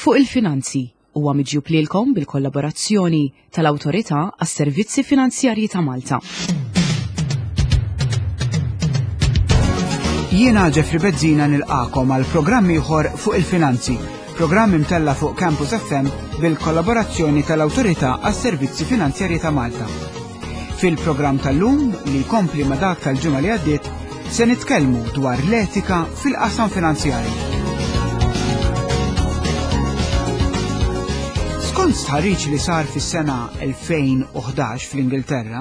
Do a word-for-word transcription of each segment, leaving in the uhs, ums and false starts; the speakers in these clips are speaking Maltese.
Fuq il-Finanzi huwa miġjub lilkom bil-kollaborazzjoni tal-Awtorità għas-Servizzi Finanzjarji ta' Malta. Jiena Jeffrey Bezzina nilqakom għal programm ieħor fuq il-finanzi, programm imtella fuq Campus F M bil-kollaborazzjoni tal-Awtorità għas-Servizzi Finanzjarji ta' Malta. Fil-programm tal-lum li jkompli ma' dak tal-ġimgħa li għaddiet se nitkellmu dwar l-etika fil-qasam finanzjarju. Skont stħarriġ li sar fis-sena elfejn u ħdax fl-Ingilterra,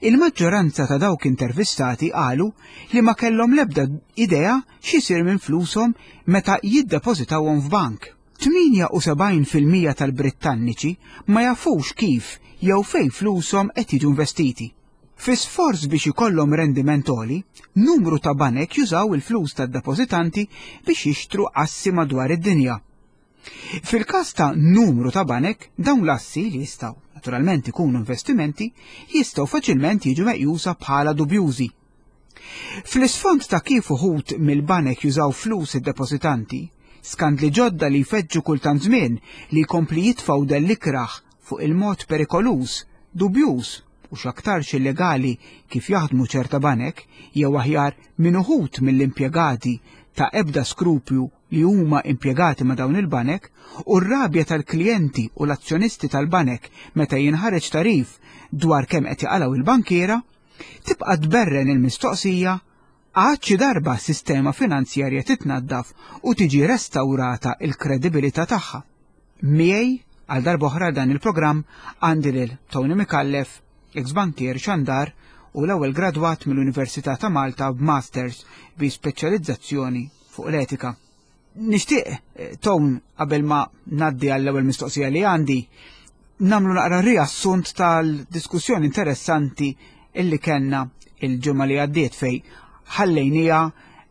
il-maġġoranza ta' dawk intervistati qalu li ma kellhom l-ebda idea x'isir minn flushom meta jiddepożitawhom f'bank. Tminja u sebgħin fil-mija tal-Brittanniċi ma jafux kif jew fejn flushom qed jiġu investiti. Fi sforz biex ikollhom rendiment għoli, numru ta' banek jużaw il-flus tad-depożitanti biex jixtru assi madwar id-dinja. Fil-każ ta' numru ta' banek, dawn l-assi li jistgħu naturalment ikunu investimenti jistgħu faċilment jiġu meqjusa bħala dubjużi. Fl-isfond ta' kif uħud mill-banek jużaw flus id-depożitanti, skandli ġodda li jfeġġu kultant żmien li jkompli jitfgħu dell-ikraħ fuq il-mod perikoluż, dubjuż u x'aktarx illegali kif jaħdmu ċerta banek, jew aħjar minn uħud mill-impjegati ta' ebda skrupju li huma impjegati ma' dawn il-banek, u r-rabja tal-klijenti u l-azzjonisti tal-banek meta jinħareġ tarif dwar kemm qed jaqalgħu il-bankiera, tibqa' tberren il-mistoqsija għad xi darba s-sistema finanzjarja titnaddaf u tiġi restawrata il-kredibilità tagħha. Miegħi għal darb'oħra dan il-programm għandi lil Tony Micallef, ex-bankier xandar u l-ewwel gradwat mill-Università ta' Malta b'Masters bi speċjalizzazzjoni fuq l-etika. Nixtieq, eh, Tone, qabel ma ngħaddi għall-ewwel mistoqsija li għandi, nagħmlu naqra riassunt tal-diskussjoni interessanti illi kellna il-ġimgħa li għaddiet fej ħallejnija,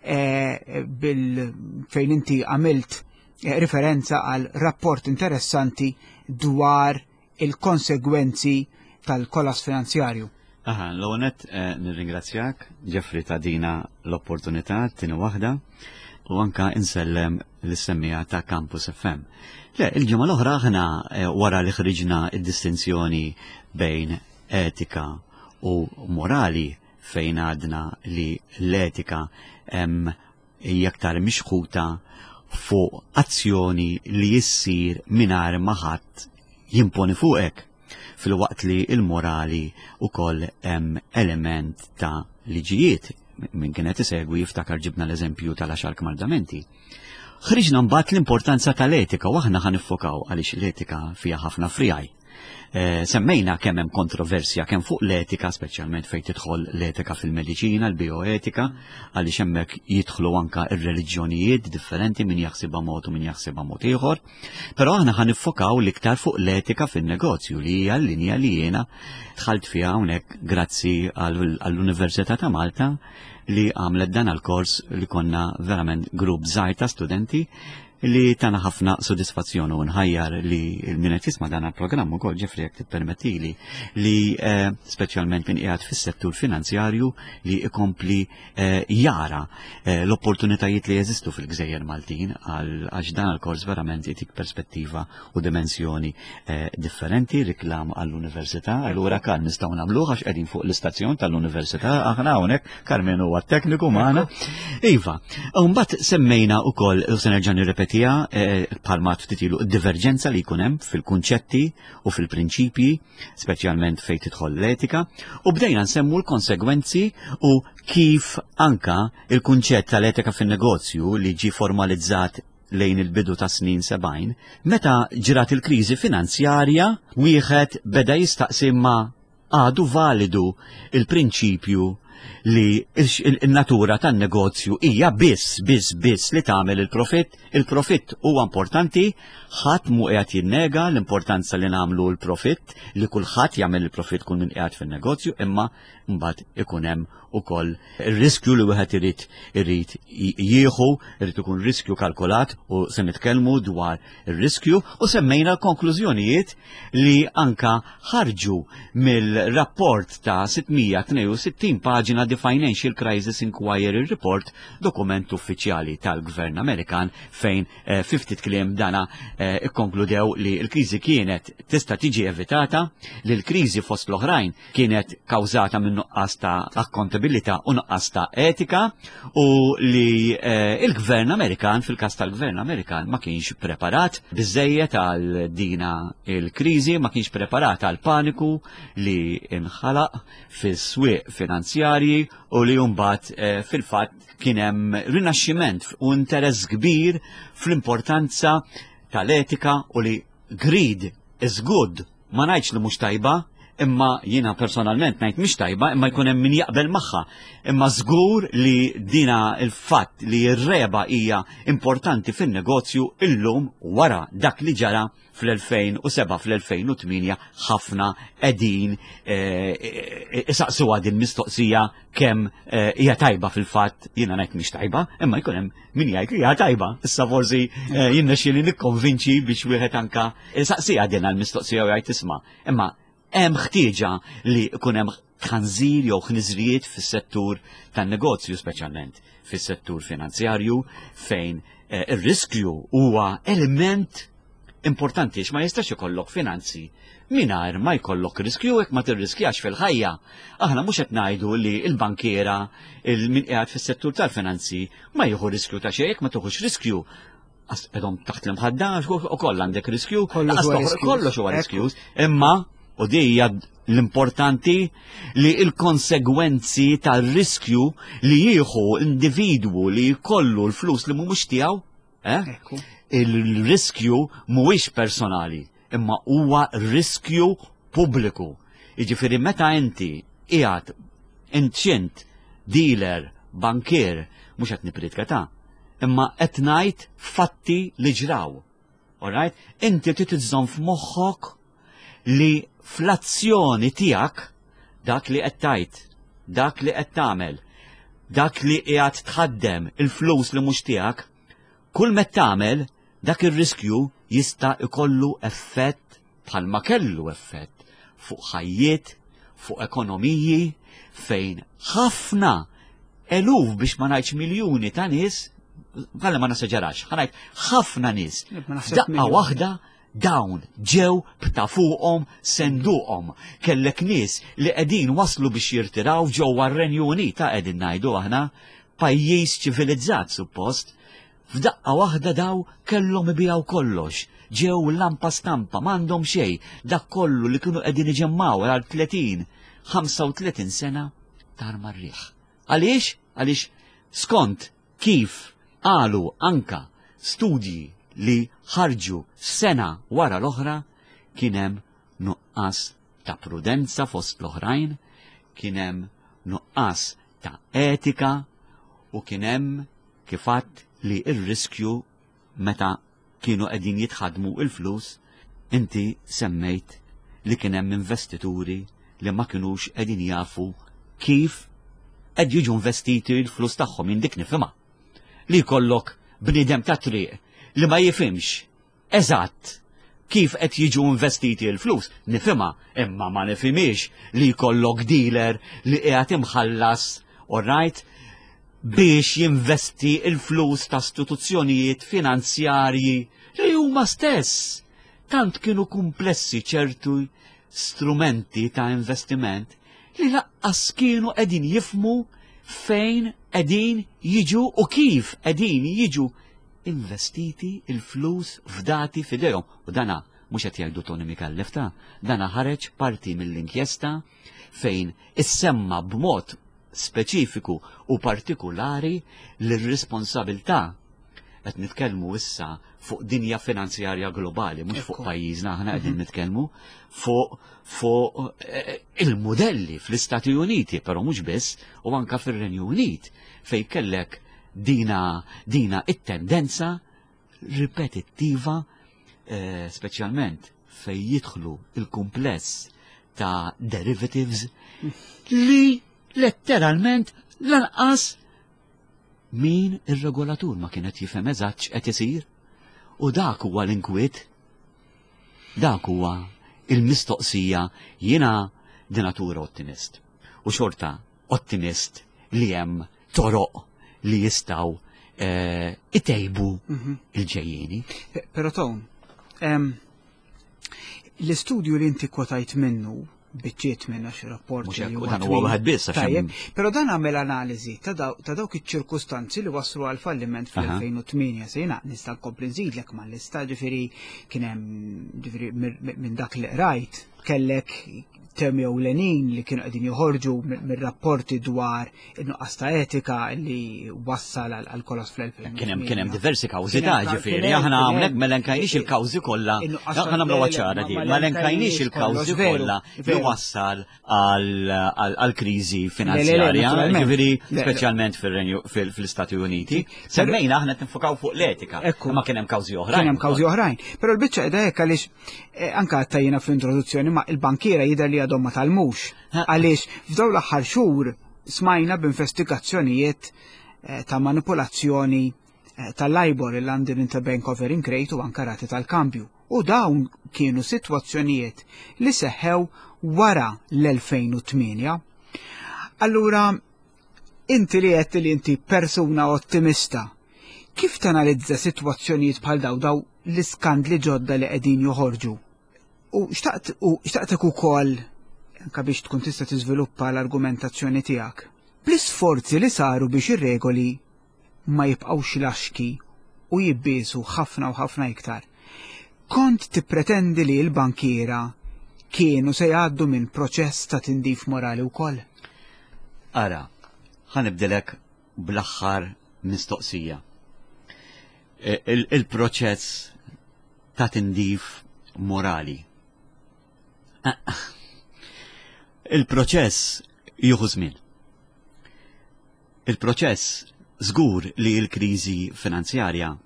eh, bil fejn inti għamilt, eh, referenza għal rapport interessanti dwar il-konsegwenzi tal-kollass finanzjarju. Aha, l-ewwel nett, eh, nirringrazzjak, Jeffrey, ta' dina l-opportunità, t-tieni waħda, u anka insellem l-semmija ta' Campus F M. Le, il-ġimgħa l-oħra aħna, eh, wara li ħriġna id-distinzjoni bejn etika u morali, fejn għadna li l-etika hemm hija aktar mixħuta fuq azzjoni li jissir mingħajr ma ħadd jimponi fuqek, fil-waqt li l-morali ukoll hemm element ta' liġijiet. Min kienet isegwi jiftakar ġibna l-eżempju tal-għaxar kmandamenti. Ħriġna mbagħad l-importanza tal-etika u aħna ħanifokaw għaliex l-etika fiha ħafna frijaj. Eh, semmejna kemm hemm kontroversja kemm fuq l-etika, speċjalment fejn tidħol l-etika fil-mediċina, l-bioetika, għaliex hemmhekk jidħlu anka r-reliġjonijiet differenti, min jaħsibha mod u min jaħsibha mod ieħor. Però aħna ħanifokaw l-iktar fuq l-etika fin-negozju, li hija l-linja li jiena dħalt fiha hawnhekk grazzi għall-, għall-Università ta' Malta li għamlet dan għal-kors li konna verament grupp żgħir ta' studenti li tana ħafna sodisfazzjon u nħajjar li min qed jisma' dan il-programm ukoll, Jeffrey, jekk tippermettili, li, eh, speċjalment min qiegħed fis-settur finanzjarju li ikompli, eh, jara, eh, l-opportunitajiet li jeżistu fil-Gżejjer Maltin, għal, għax dan il-kors verament itik perspettiva u dimensjoni, eh, differenti, riklam għall-università. Allura kan nistgħu nagħmluh għax qegħdin fuq l-istazzjon tal-università, aħna hawnhekk Karmenu huwa tekniku magħna. Iva, u mbagħad semmejna wkoll, u se nerġa' nirrepeti, Tija, eh, bħalma ftit ilu diverġenza li jkun hemm fil-kunċetti u fil-prinċipji, speċjalment fejn tidħol l-etika, u bdejna nsemmu l-konsegwenzi u kif anka il-kunċett tal-etika fin-negozju li ġi formalizzat lejn il-bidu ta' snin sebgħin, meta ġrat il-kriżi finanzjarja, wieħed beda jistaqsi ma għadu validu il-prinċipju li il-, il-natura tan-negozju hija biss, biss, biss li tagħmel il-profitt. Il-profitt huwa importanti, ħadd mhu qiegħed jinnega l-importanza li nagħmlu l-profitt, li kulħadd jagħmel il-profitt kull min qiegħed fin-negozju, imma mbagħad ikun hemm ukoll ir-riskju li wieħed irid irid jieħu, irid ikun riskju kalkulat u se nitkellmu dwar ir-riskju u semmejna konklużjonijiet li anka ħarġu mill-rapport ta' sitt mija tnejn u sittin paġna, The Financial Crisis Inquiry Report, dokument uffiċjali tal-Gvern Amerikan, fejn eh, fi ftit kliem dana eh, ikkonkludew li l-kriżi kienet tista' tiġi evitata, li l-kriżi fost l-oħrajn kienet kawżata minn nuqqas ta' akkontabilità u nuqqas ta' etika u li eh, il-Gvern Amerikan, fil-każ tal-Gvern Amerikan, ma kienx preparat biżejjed għal dina il-kriżi, ma kienx preparat għal paniku li inħalaq fis-swieq finanzjarji u li mbagħad eh, fil-fatt kien hemm rinaxximent u interess kbir fl-importanza tal-etika u li greed is good. Ma ngħidx li mhux tajba, imma jiena personalment ngħid mhix tajba, imma jkun hemm min jaqbel magħha. Imma żgur li dina il-fatt li r-reba hija importanti fin-negozju, illum wara dak li ġara fl-elfejn u sebgħa, fl-elfejn u tmienja, ħafna qegħdin isaqsuha din mistoqsija kemm eh, hija tajba fil-fatt. Jiena ngħid mhix tajba, imma jkun hemm min jgħid li hija tajba. Issa forsi eh, jirnexxieli nikkonvinċi biex wieħed anka saqsija din għall-mistoqsija u jgħid, "Isma', imma hemm ħtieġa li jkun hemm tħanżir jew ħniżrijiet fis-settur tan-negozju, speċjalment fis-settur finanzjarju, fejn eh, ir-riskju huwa element importanti, ma jistax ikollok finanzi mingħajr ma jkollok riskju jekk ma tirriskjax fil-ħajja." Aħna mhux qed ngħidu li l-bankiera, il min qiegħed fis-settur tal-finanzi, ma jieħu riskju ta' xejn. Jekk ma tieħux riskju, qegħdhom taħt l-imħadda u koll għandek riskju, kollox huwa riskju. Imma u di hija l-importanti, li il-konsegwenzi tal-riskju li jieħu individwu li jkollu l-flus li mhumiex tiegħu, eh? Il-riskju mhuwiex personali, imma huwa riskju pubbliku. Jiġifieri meta inti qiegħed inċint, dealer, bankier, mhux qed nipritka ta', imma qed ngħid fatti li ġraw. Alright? Inti trid iżżomm f'moħħok li fl-azzjoni tiegħek, dak li qed tgħid, dak li qed tagħmel, dak li qiegħed tħaddem il-flus li mhux tiegħek, kull met tagħmel dak ir-riskju jista' ikollu effett bħalma kellu effett fuq ħajjiet, fuq ekonomiji, fejn ħafna eluf, biex ma ngħidx miljuni ta' nies, għalla ma nesaġerax, ħa ngħid ħafna nies, daqqa waħda dawn ġew bta fuqhom senduqhom. Kellek nies li qegħdin waslu biex jirtiraw ġewwa r-Renju Unit, ta' qegħdin ngħidu aħna pajjiż ċivilizzat suppost. F'daqqa waħda daw kellhom ibijaw kollox. Ġew lampa stampa, m'għandhom xejn, dak kollu li kienu qegħdin iġemmaw għal tletin, ħamsa u tletin sena tar mar-riħ. Għaliex? Għaliex skont kif qalu anka studji li ħarġu sena wara l-oħra, kien hemm nuqqas ta' prudenza fost l-oħrajn, kien hemm nuqqas ta' etika u kien hemm kif għedt li ir-riskju meta kienu qegħdin jitħadmu il-flus, inti semmejt li kien hemm investituri li ma kinux qegħdin jafu kif qed jiġu investiti l-flus tagħhom. Jien dik nifhimha. Li jkollok bniedem ta' triq li ma jifhimx eżatt kif qed jiġu investiti l-flus, nifhimha, imma ma nifhimix li jkollok dealer li qiegħed imħallas, all right, biex jinvesti il-flus ta' istituzzjonijiet finanzjarji li huma stess tant kienu komplessi ċertu strumenti ta' investiment li lanqas kienu qegħdin jifhmu fejn qegħdin jiġu u kif qegħdin jiġu investiti il-flus fdati fidejhom. U dana mhux qed jgħidu Tony Micallef ta', dana ħareġ parti mill-inkjesta fejn issemma b'mod speċifiku u partikulari l-responsabilità. Qed nitkellmu issa fuq dinja finanzjarja globali, mhux fuq pajjiżna, aħna qegħdin nitkellmu fuq fuq eh, il-modelli fl-Istati Uniti, però mhux biss, u anka fir-Renju Unit, fej kellek dina dina it-tendenza ripetittiva, eh, speċjalment fej jidħlu il-kumpless ta' derivatives li Letteralment lanqas min ir-regolatur ma kienet jifhem eżatt x'qed isir. U dak huwa l-inkwiet. Dak huwa il-mistoqsija. Jiena di natura ottimist. U xorta ottimist li hemm toroq li jistgħu eh, itejbu Mhm. il-ġejjieni. Però Tone, em, l-istudju li inti kwotajt minnu, biċċiet minna xi rapport Mhux li hekk, huwa dan huwa twil. wieħed biss, għax Tajjeb, hemm- però dan għamel analiżi ta' daw- ta' dawk iċ-ċirkustanzi li waslu għal falliment Aha. fl-elfejn u tmienja. Se jiena nista' nkompli nżidlek mal-lista, ġifieri kien hemm, ġifieri mir- minn dak li qrajt kellek temi ewlenin li kienu qegħdin joħorġu mir- mir-rapporti dwar in-nuqqas ta' etika li wassal għal għal kollass fl-elfejn u tmienja. Kien hemm kien hemm diversi kawżi Kien ta' hemm- ġifieri, kien hemm- aħna kien hawnhekk hemm- ma elenkajniex il-kawżi kollha. In-nuqqas ta' Aħna nagħmlu le, ċara ma- di, ma ma elenkajniex il-kawżi kollox, veru, kollha li veru. wassal għal għal kriżi Le, le, le, finanzjarja, naturalment. ġifieri Le, le. speċjalment fir-Renju fil-Istati Uniti. Semmejna aħna tinfukaw fuq l-etika, Ekku. ma kien hemm kawżi oħrajn. Kien hemm kawżi oħrajn. Però l-biċċa qiegħda hekk għaliex eh, anke għattajjina fl-introduzzjoni, ma il-bankiera jidher li għadhom ma tgħallmux. Ha. Għaliex f'dawn l-aħħar xhur smajna b'investigazzjonijiet eh, ta' manipolazzjoni eh, tal-LIBOR, il-London Interbank Offering Rate, u anka rati tal-kambju. U dawn kienu sitwazzjonijiet li seħħew wara l-elfejn u tmienja. Allura, inti li għedt li inti persuna ottimista, kif tanalizza sitwazzjonijiet bħal daw daw l-iskandli ġodda li qegħdin joħorġu? U xtaqt u xtaqtek ukoll anka biex tkun tista' tiżviluppa l-argumentazzjoni tiegħek. Bl-isforzi li saru biex ir-regoli ma jibqgħux laxki u jibbiesu ħafna u ħafna iktar. Kont tippretendi li l-bankiera kienu se jgħaddu minn proċess ta' tindif morali wkoll? Ara, ħa nibdilek bl-aħħar mistoqsija. E, il- Il-proċess ta' tindif morali. Ah, il-proċess jieħu żmien. Il-proċess żgur li l-kriżi finanzjarja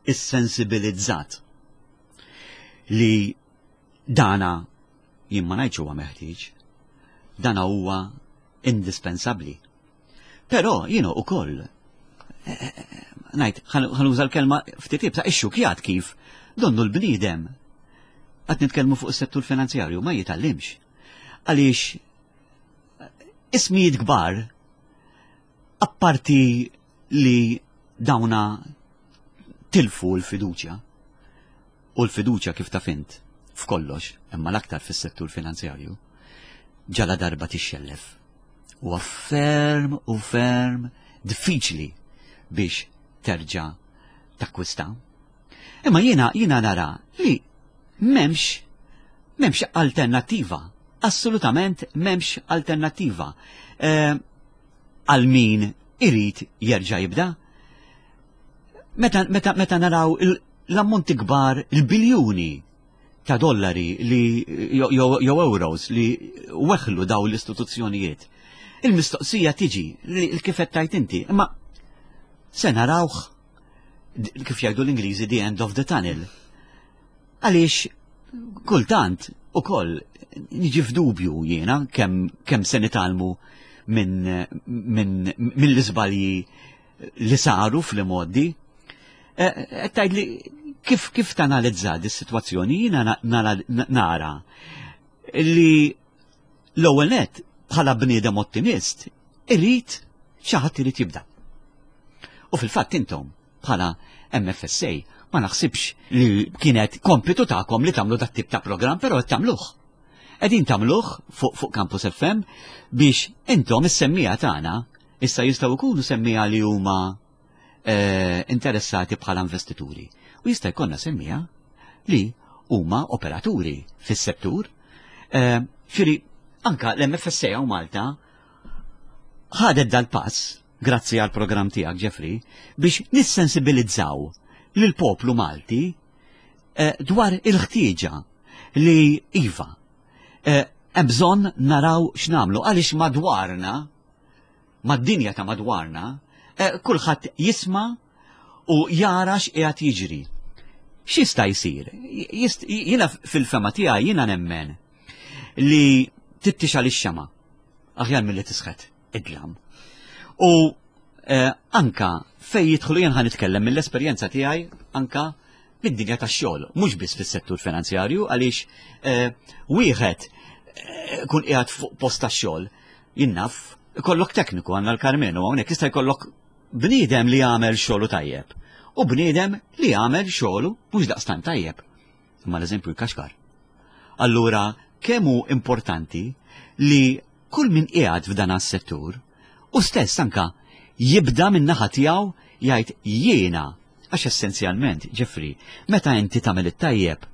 issensibilizzat li dana, jien ma ngħidx huwa meħtieġ, dana huwa indispensabbli. Però jiena ukoll eh, ngħid, ħa nuża l-kelma ftit iebsa, ixxukjat kif donnu l-bniedem, qed nitkellmu fuq is-settur finanzjarju, ma jitgħallimx. Għaliex ismijiet kbar, apparti li dawna tilfu l-fiduċja, u l-fiduċja, kif taf int, f'kollox, imma l-aktar fis-settur finanzjarju, ġala darba tixxellef, huwa ferm u ferm diffiċli biex terġa' takkwista. Imma jiena jiena nara li m'hemmx m'hemmx alternattiva. Assolutament m'hemmx alternattiva. Eh, Għal min irid jerġa' jibda. Meta, meta, meta naraw il- l-ammonti kbar, il-biljuni ta' dollari li jew jew euros li weħlu daw l-istituzzjonijiet. Il-mistoqsija tiġi li kif qed tajt inti, imma se narawh, kif jgħidu l-Ingliżi, the end of the tunnel? Għaliex kultant ukoll niġi f'dubju jiena kemm kemm se nitgħallmu minn min, mill-iżbalji li saru fl-modi. Qed tgħid li kif kif tanalizza dis-sitwazzjoni, jiena nara li l-ewwel net, bħala bniedem ottimist, irid xi ħadd irid jibda. U fil-fatt intom bħala M F S A ma naħsibx li kienet kompitu tagħkom li tagħmlu dat tip ta' programm, però qed tagħmluh. Qegħdin tagħmluh fuq fuq Campus F M biex intom is-semmiegħa tagħna issa jistgħu jkunu semmiegħa li huma eh, interessati bħala investituri. U jista' jkollna semmiegħa li huma operaturi fis-settur. Eh, Ġifieri, anka l-M F S A u Malta ħadet dal-pass, grazzi għal programm tiegħek, Jeffrey, biex nissensibilizzaw lil poplu Malti eh, dwar il-ħtieġa li iva, eh, hemm bżonn naraw x'nagħmlu għaliex madwarna, mad-dinja ta' madwarna, eh, kulħadd jisma' u jara x'qiegħed jiġri. X'jista' jsir? Jist- Jiena fil-fehma tiegħi jiena nemmen li tittixgħel ix-xemgħa aħjar milli tisħet Id-dlam. U eh, anka fej jidħlu, jien ħa nitkellem mill-esperjenza tiegħi anka mid-dinja tax-xogħol, mhux biss fis-settur finanzjarju, għaliex eh, wieħed eh, kun qiegħed fuq post tax-xogħol, jien naf, ikollok tekniku, għandna l-Karmenu hawnhekk, jista' jkollok bniedem li jagħmel xogħlu tajjeb u bniedem li jagħmel xogħlu mhux daqstant tajjeb. Imma l-eżempju jkaxkar. Allura, kemm hu importanti li kull min qiegħed f'dan is-settur u stess anka jibda minn naħa tiegħu jgħid jiena, għax essenzjalment, Jeffrey, meta inti tagħmel it-tajjeb,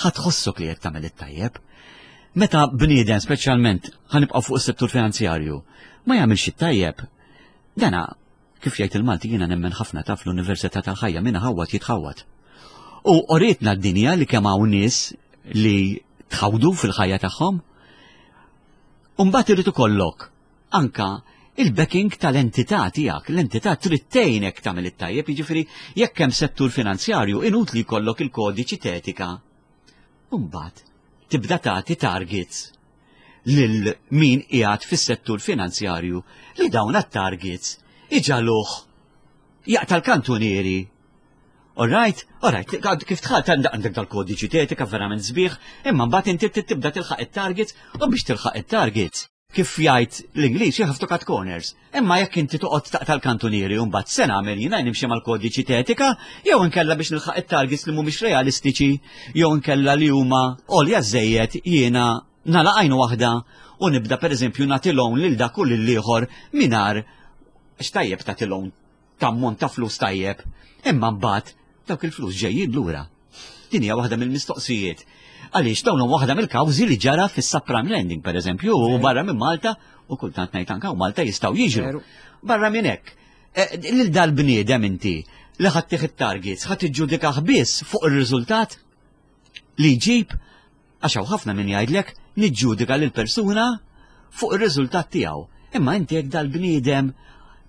ħa tħossok li qed tagħmel it-tajjeb. Meta bniedem, speċjalment ħa nibqgħu fuq is-settur finanzjarju, ma jagħmilx it-tajjeb, dana kif jgħid il-Malti, jiena nemmen ħafna taf l-Università tal-Ħajja, minna ħawat jitħawat. U urietna d-dinja li kemm hawn nies li tħawdu fil-ħajja tagħhom. U mbagħad irid ikollok anka il-backing tal-entità tiegħek. L-entità trid tgħinek tagħmel it-tajjeb, jiġifieri jekk hemm settur finanzjarju, inutli jkollok il-kodiċi t'etika. U mbagħad tibda tagħti targets lil min qiegħed fis-settur finanzjarju li dawn at-targets iġagħluh jaqta' l-kantunieri. All right, all right, kif tħalt għandek dal-kodiċi t'etika verament sbieħ, imma mbagħad inti tibda tilħaq it-targets, u biex tilħaq it-targets, kif jgħid l-Ingliż, you have to cut corners. Imma jekk inti toqgħod taqta' l-kantunieri u mbagħad se nagħmel jiena, nimxi mal-kodiċi t'etika jew inkella biex nilħaq it-targets li mhumiex realistiċi jew inkella li huma għolja żejjed, jiena nagħlaq għajnu waħda u nibda, pereżempju, nagħti loan lil dak u lil ieħor mingħajr x'tajjeb tagħti loan t'ammont ta' flus tajjeb, imma mbagħad dawk il-flus ġejjin lura. Din hija waħda mill-mistoqsijiet. Għaliex dawn huma waħda mill-kawżi li ġara fis-subprime lending, pereżempju, u barra minn Malta, u kultant ngħid anke u Malta jistgħu jiġru. Veru. Barra minn hekk, eh, lil dal-bniedem inti li ħa ttih it-targets, ħa tiġġudikah biss fuq ir-riżultat li jġib, għax hawn ħafna min jgħidlek niġġudika lil persuna fuq ir-riżultat tiegħu. Imma inti jekk dal-bniedem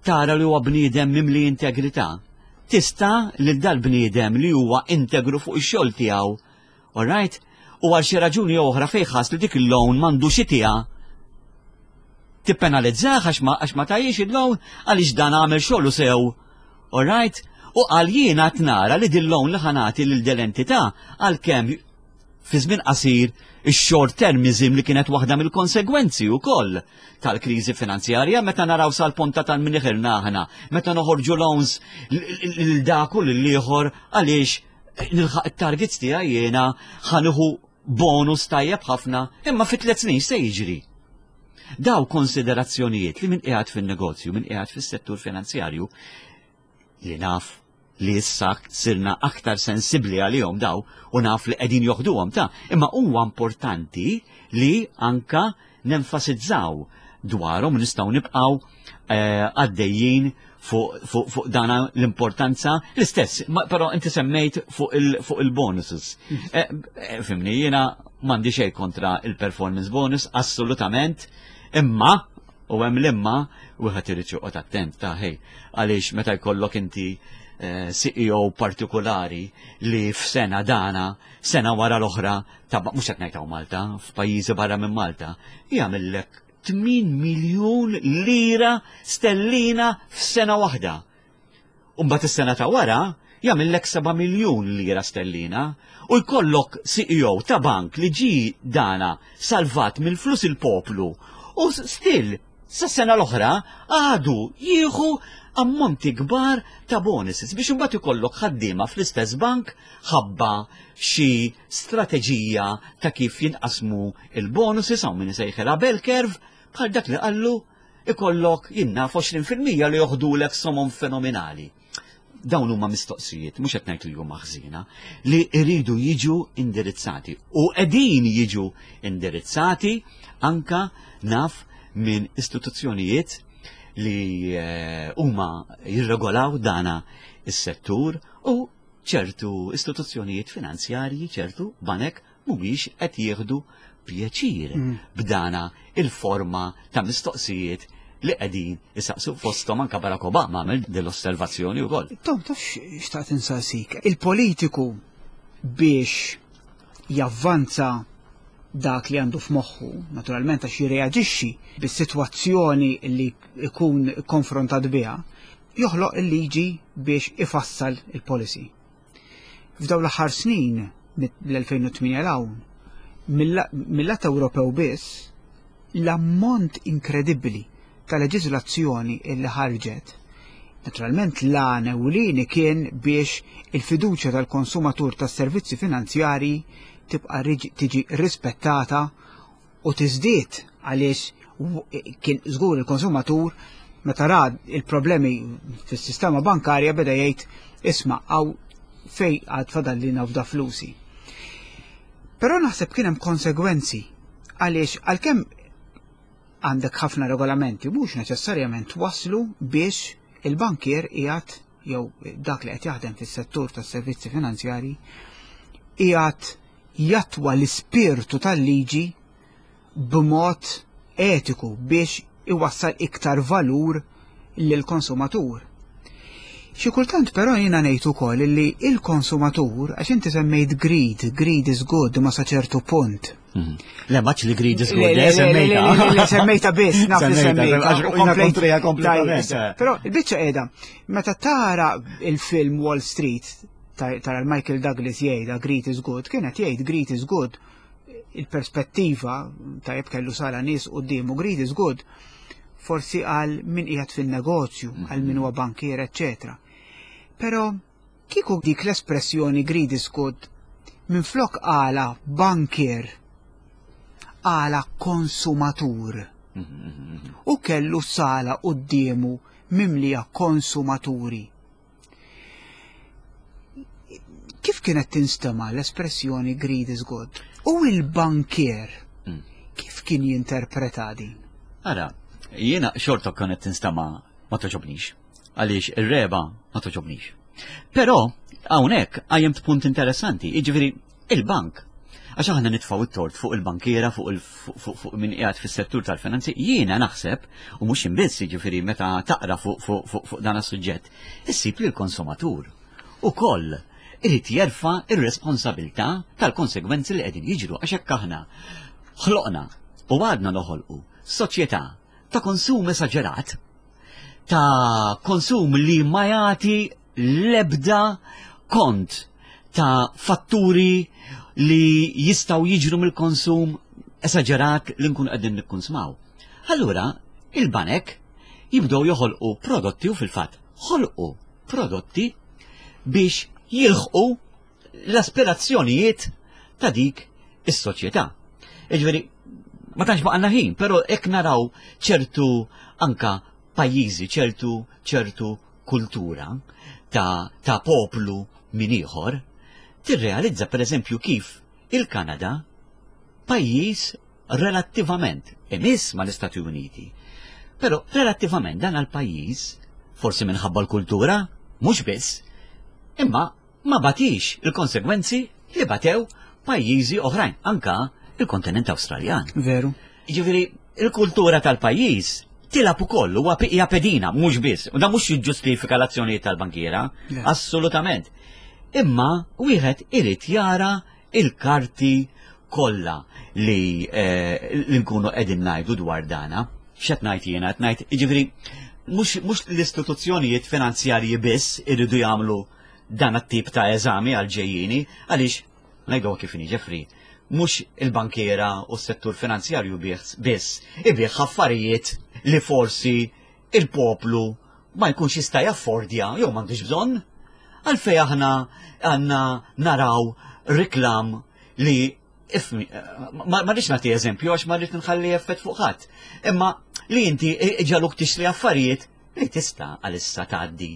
tara li huwa bniedem mimli integrità, tista' lil dal-bniedem li huwa integru fuq ix-xogħol tiegħu, all right? U għal xi raġuni oħra fejn ħass li dik il-loan m'għandux itiha, tippenalizzah għax ma għax ma tajiex il-loan għaliex dan għamel xogħlu sew. All right? U għal jiena nara li dil-loan li ħa nagħti lil dell-entità, għalkemm fi żmien qasir ix-short termism li kienet waħda mill-konsegwenzi wkoll tal-kriżi finanzjarja, meta naraw sal-ponta tal-mniħirna aħna, meta noħorġu loans lil dak u lil ieħor għaliex nilħaq it-targets tiegħi, jiena ħa nieħu bonus tajjeb ħafna, imma fi tliet snin se jiġri? Daw konsiderazzjonijiet li min qiegħed fin-negozju, min qiegħed fis-settur finanzjarju, li naf li issa sirna aktar sensibli għalihom daw u naf li qegħdin joħduhom ta', imma huwa importanti li anka nenfasizzaw dwarhom, nistgħu nibqgħu eh, għaddejjin fuq fu, fu dana l-importanza l-istess, ma- però inti semmejt fuq il, fuq il-bonuses. Eh, eh, Fhimni, jiena m'għandi xejn kontra il-performance bonus, assolutament, imma, u hemm l-imma, wieħed irid joqgħod attent ta' ħej, għaliex meta jkollok inti eh, C E O partikolari li f'sena dana, sena wara l-oħra, ta' mhux qed ngħid hawn Malta, f'pajjiżi barra minn Malta, jagħmellek tmien miljun lira stellina f'sena waħda. U mbagħad is-sena ta' wara jagħmellek seba' miljun lira stellina u jkollok C E O ta' bank li ġi dana salvat mill-flus il-poplu u still sa sena l-oħra għadu jieħu ammonti kbar ta' bonuses, biex imbagħad ikollok ħaddiema fl-istess bank ħabba xi strateġija ta' kif jinqasmu il-bonuses, hawn min isejħilha bell curve, bħal dak li qallu ikollok, jien naf, għoxrin fil-mija li joħdulek somom fenomenali. Dawn huma mistoqsijiet, mhux qed ngħid li huma ħżiena, li jridu jiġu indirizzati u qegħdin jiġu indirizzati anka naf minn istituzzjonijiet li eh, huma jirregolaw dana is-settur u ċertu istituzzjonijiet finanzjarji, ċertu banek mhumiex qed jieħdu pjaċir mm. b'dana il-forma ta' mistoqsijiet li qegħdin isaqsu, fosthom anka Barack Obama għamel dell-osservazzjoni wkoll. Tom, taf xtaqt insaqsik? Il-politiku biex javvanza dak li għandu f'moħħu, naturalment għax jirreaġixxi bis-sitwazzjoni li ikun konfrontat biha, joħloq il-liġi biex ifassal il-policy. F'dawn l-aħħar snin, mill-elfejn u tmienja 'l hawn, mill-lat Ewropew biss, l-ammont inkredibbli ta' leġiżlazzjoni illi ħarġet, naturalment l-għan ewlieni kien biex il-fiduċja tal-konsumatur tas-servizzi finanzjari tibqa' tiġi rispettata u tiżdied, għaliex kien żgur il-konsumatur meta ra il-problemi fis-sistema bankarja beda jgħid, "Isma' għaw fej għad fadalli nafda flusi." Però naħseb kien hemm konsegwenzi, għaliex għalkemm għandek ħafna regolamenti, mhux neċessarjament waslu biex il-bankier qiegħed jew dak li qed jaħdem fis-settur tas-servizzi finanzjari qiegħed jattwa l-ispirtu tal-liġi b'mod etiku biex iwassal iktar valur lill-konsumatur. Xi kultant però jiena ngħid ukoll li il-konsumatur, għax inti semmejt greed, greed is good ma sa ċertu punt. Mhm. Le, maċ li greed is good, le, semmejta. Le, semmejta biss, naf li semmejta. Kontrija kompletament. Però il-biċċa qiegħda, meta tara il-film Wall Street, tara Michael Douglas jgħidha "greed is good", kienet jgħid "greed is good". Il-perspettiva, tajjeb, kellu sala nies quddiemu, greed is good forsi għal min qiegħed fin-negozju, għal min huwa bankier, eccetera. Però kieku dik l-espressjoni "greed is good" minn flok għala bankier għala konsumatur u kellu sala quddiemu mimlija konsumaturi. Kif kienet tinstema l-espressjoni "greed is good"? U il-bankier mm. kif kien jinterpreta din? Ara, jiena xorta kienet tinstema ma toġobnix. Għaliex ir-regħba ma toġobnix. Però hawnhekk qajjimt punt interessanti, jiġifieri il-bank. Għax aħna nitfgħu it-tort fuq il-bankiera, fuq fuq min qiegħed fis-settur tal-finanzi, jiena naħseb, u mhux biss, jiġifieri meta taqra fuq fuq dan is-suġġett, issib li l-konsumatur ukoll irid jerfa' ir-responsabilità tal-konsegwenzi li qegħdin jiġru, għax hekk aħna ħloqna u għadna noħolqu soċjetà ta' konsum esaġerat, ta' konsum li ma jagħti l-ebda kont ta' fatturi li jistgħu jiġru mill-konsum esaġerat li nkun qegħdin nikkonsmaw. Allura, il-banek jibdew joħolqu prodotti u fil-fatt ħolqu prodotti biex jilħqu l-aspirazzjonijiet ta' dik is-soċjetà. Jiġifieri, ma tantx baqgħalna ħin, però hekk naraw ċertu anka pajjiżi, ċertu ċertu kultura ta', ta' poplu min ieħor, tirrealizza per eżempju kif il-Kanada, pajjiż relattivament imiss mal-Istati Uniti. Però relattivament dan għal-pajjiż, forsi minħabba l-kultura, mhux biss, imma ma batix il-konsegwenzi li batew pajjiżi oħrajn, anka il-kontinent Awstraljan. Veru. Ġifieri, il-kultura tal-pajjiż tilgħab ukoll, huwa hija pedina, mhux biss. U da mhux jiġġustifika l-azzjonijiet tal-bankiera, assolutament. Imma wieħed irid jara il-karti kollha li, eh, li nkunu qegħdin ngħidu dwar dana. X'qed ngħid jiena? Qed ngħid, jiġifieri, mhux l-istituzzjonijiet finanzjarji biss iridu jagħmlu dan it-tip ta' eżami għal ġejjini, għaliex ngħidu kif inhi, Jeffrey, mhux il-bankiera u s-settur finanzjarju biss ibigħ affarijiet li forsi il-poplu ma jkunx jista' jaffordja jew m'għandux bżonn. Għalfej aħna għandna naraw reklam li ifmi, ma rridx nagħti eżempju għax ma rridx nħalli effett fuq ħadd. Imma li inti ġaluk tixtri affarijiet li tista' għalissa tgħaddi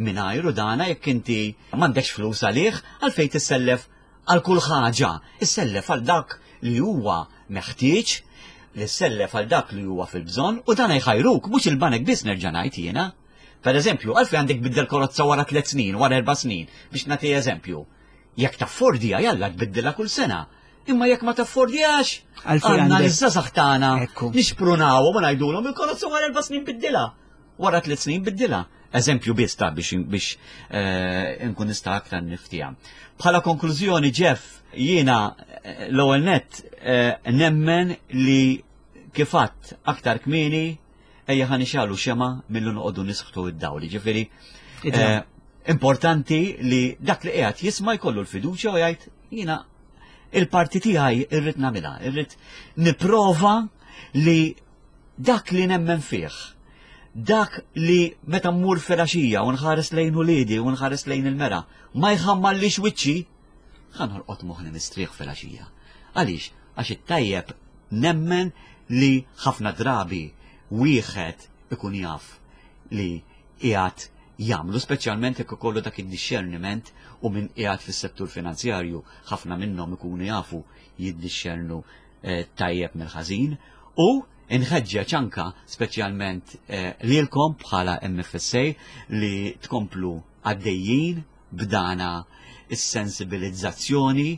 mingħajru dana jekk inti m'għandekx flus għalih, għalfej tissellef għal kull ħaġa? Issellef għal dak li huwa meħtieġ, li ssellef għal dak li huwa fil-bżonn u dan jħajruk, mhux il-banek biss, nerġa' ngħid jiena. Per eżempju, għalfej għandek biddel karozza wara tliet snin, wara erba' snin, biex nagħti eżempju? Jekk taffordija, jalla tbiddilha kull sena. Imma jekk ma taffordjax, għandna l-żgħażagħ tagħna nixprunaw u ngħidulhom il-karozza wara erba' snin biddilha. Wara tliet snin biddilha. Eżempju biss ta' biex biex eh, nkun nista' aktar niftija. Bħala konklużjoni, Jeff, jiena eh, l-ewwel net eh, nemmen li kif għedt aktar kmieni ejja ħa nixegħlu xemgħa milli noqogħdu nisħtu id-dawl. Ġifieri eh, importanti li dak li qiegħed jisma' jkollu l-fiduċja u jgħid jiena il-parti tiegħi irrid nagħmilha, irrid nipprova li dak li nemmen fih, dak li meta mmur filgħaxija u nħares lejn uliedi u nħares lejn il-mera, ma jħammallix wiċċi, ħa norqod moħħni mistrieħ filgħaxija. Għaliex? Għax it-tajjeb nemmen li ħafna drabi wieħed ikun jaf li qiegħed jagħmlu, speċjalment jekk ikollu dak id-discerniment, u min qiegħed fis-settur finanzjarju ħafna minnhom ikunu jafu jiddixxernu eh, tajjeb mill-ħażin, u inħeġġeġ anka speċjalment eh, lilkom bħala M F S A li tkomplu għaddejjin b'dana is-sensibilizzazzjoni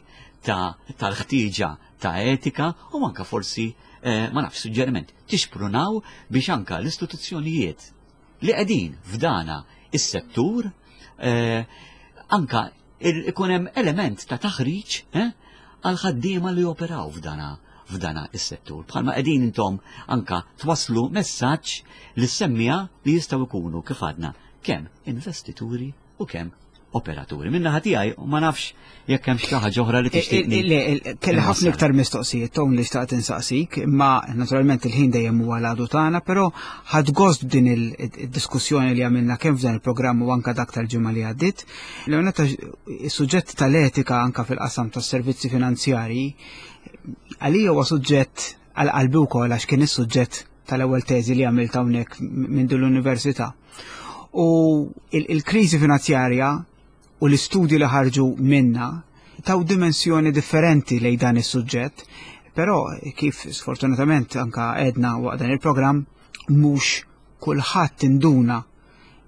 ta' tal-ħtieġa ta' etika u anka forsi eh, ma nafx, suġġeriment, tixprunaw biex anka l-istituzzjonijiet li qegħdin f'dana is-settur eh, anka ikun hemm element ta' taħriġ eh, għal ħaddiema li operaw f'dana f'dana is-settur. Bħalma qegħdin intom anka twaslu messaġġ lis-semmiegħa li jistgħu jkunu, kif għadna, kemm investituri u kemm operaturi. Min-naħa tiegħi ma nafx jekk hemm xi ħaġa oħra li tixtieqni. Le, kelli ħafna iktar mistoqsijiet, Tom, li xtaqt insaqsik, imma naturalment il-ħin dejjem huwa l-għadu tagħna, però ħadt gost b'din il-diskussjoni li għamilna kemm f'dan il-programm u anka dak tal-ġimgħa li għaddiet. L-għonet is-suġġett tal-etika anka fil-qasam tas-servizzi finanzjarji għalija huwa suġġett għal qalbi wkoll, għax kien is-suġġett tal-ewwel teżi li għamilt hawnhekk minn din l-università. U il-kriżi finanzjarja u l-istudji li ħarġu minna taw dimensjoni differenti lejn dan is-suġġett, però kif sfortunatament anka għedna waqt dan il-programm, mhux kulħadd induna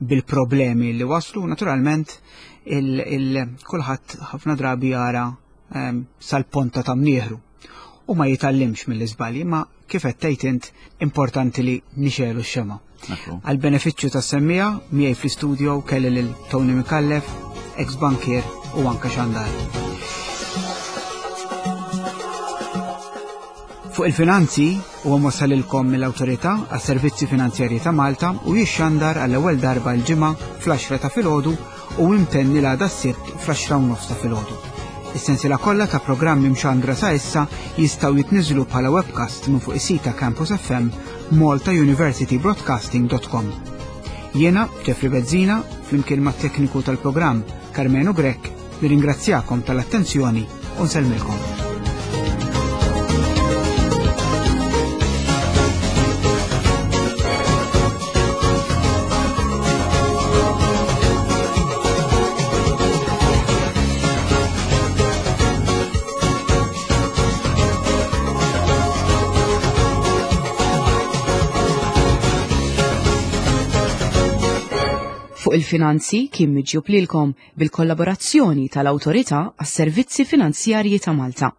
bil-problemi li waslu, naturalment kulħadd ħafna drabi jara ehm, sal-ponta ta' mnieħru u ma jitgħallimx mill-iżbalji, ma kif qed tgħid int, importanti li nixegħlu x-xemgħa. Għal benefiċċju tas-semmiegħa, miegħi fl-istudio kelli lil Tony Micallef, ex-bankier u anka xandar. Fuq il-finanzi huwa mwassalilkom mill-Awtorità għas-Servizzi Finanzjarji ta' Malta u jixxandar għall-ewwel darba l-Ġimgħa fl-għaxra ta' filgħodu u imtenni l-għada s-Sibt fl-għaxra u nofs ta' filgħodu. Is-sensiela kollha ta' programmi mxandra sa issa jistgħu jitniżlu bħala webcast minn fuq is-sit ta' Campus F M, maltauniversitybroadcasting punt com. Jiena, Jeffrey Bezzina, flimkien mat-tekniku tal-programm Carmenu Grech, nirringrazzjakom tal-attenzjoni u nsellmilkom. Fuq il-finanzi kien miġjub lilkom bil-kollaborazzjoni tal-Awtorità għas-Servizzi Finanzjarji ta' Malta.